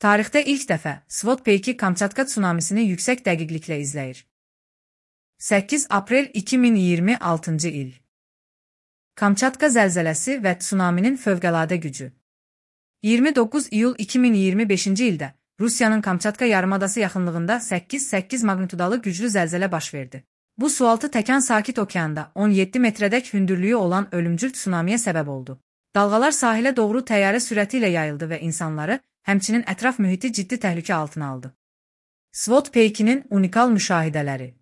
Tarixdə ilk dəfə SWOT peyki Kamçatka tsunamisini yüksək dəqiqliklə izləyir. 8 aprel 2026-cı il. Kamçatka zəlzələsi və tsunaminin fövqəladə gücü. 29 iyul 2025-ci ildə Rusiyanın Kamçatka yarımadası yaxınlığında 8.8 magnitudalı güclü zəlzələ baş verdi. Bu sualtı təkan Sakit Okeanda 17 metrədək hündürlüyü olan ölümcül tsunamiyə səbəb oldu. Dalğalar sahilə doğru təyyarə sürəti ilə yayıldı və insanları, həmçinin ətraf mühiti ciddi təhlükə altına aldı. SWOT peykinin unikal müşahidələri.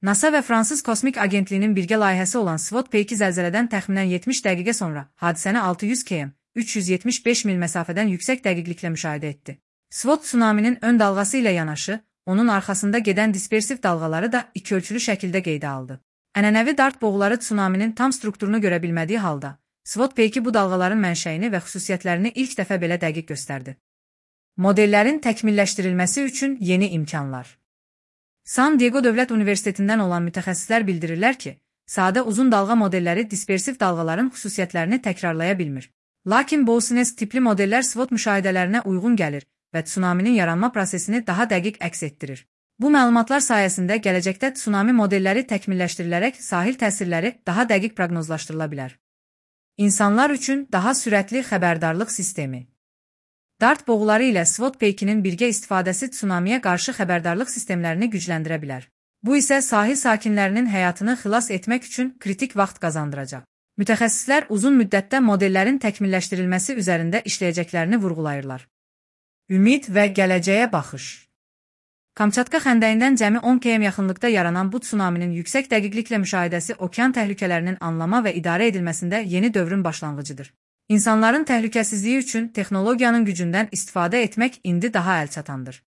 NASA və Fransız Kosmik Agentliyinin birgə layihəsi olan SWOT peyki zəlzələdən təxminən 70 dəqiqə sonra hadisəni 600 km, 375 mil məsafədən yüksək dəqiqliklə müşahidə etdi. SWOT tsunaminin ön dalğası ilə yanaşı, onun arxasında gedən dispersiv dalğaları da ikiölçülü şəkildə qeydə aldı. Ənənəvi dart boğuları tsunaminin tam strukturunu görə bilmədiyi halda, SWOT peyki bu dalğaların mənşəyini və xüsusiyyətlərini ilk dəfə belə dəqiq göstərdi. Modellərin təkmilləşdirilməsi üçün yeni imkanlar. San Diego Dövlət Universitetindən olan mütəxəssislər bildirirlər ki, sadə uzun dalğa modelləri dispersiv dalğaların xüsusiyyətlərini təkrarlaya bilmir. Lakin Boussinesq tipli modellər SWOT müşahidələrinə uyğun gəlir və tsunaminin yaranma prosesini daha dəqiq əks etdirir. Bu məlumatlar sayəsində gələcəkdə tsunami modelləri təkmilləşdirilərək sahil təsirləri daha dəqiq proqnozlaşdırıla bilər. İnsanlar üçün daha sürətli xəbərdarlıq sistemi. Dart boğuları ilə SWOT peykinin birgə istifadəsi tsunamiyə qarşı xəbərdarlıq sistemlərini gücləndirə bilər. Bu isə sahil sakinlərinin həyatını xilas etmək üçün kritik vaxt qazandıracaq. Mütəxəssislər uzun müddətdə modellərin təkmilləşdirilməsi üzərində işləyəcəklərini vurğulayırlar. Ümid və gələcəyə baxış. Kamçatka xəndəyindən cəmi 10 km yaxınlıqda yaranan bu tsunaminin yüksək dəqiqliklə müşahidəsi okean təhlükələrinin anlama və idarə edilməsində yeni dövrün başlanğıcıdır. İnsanların təhlükəsizliyi üçün texnologiyanın gücündən istifadə etmək indi daha əlçatandır.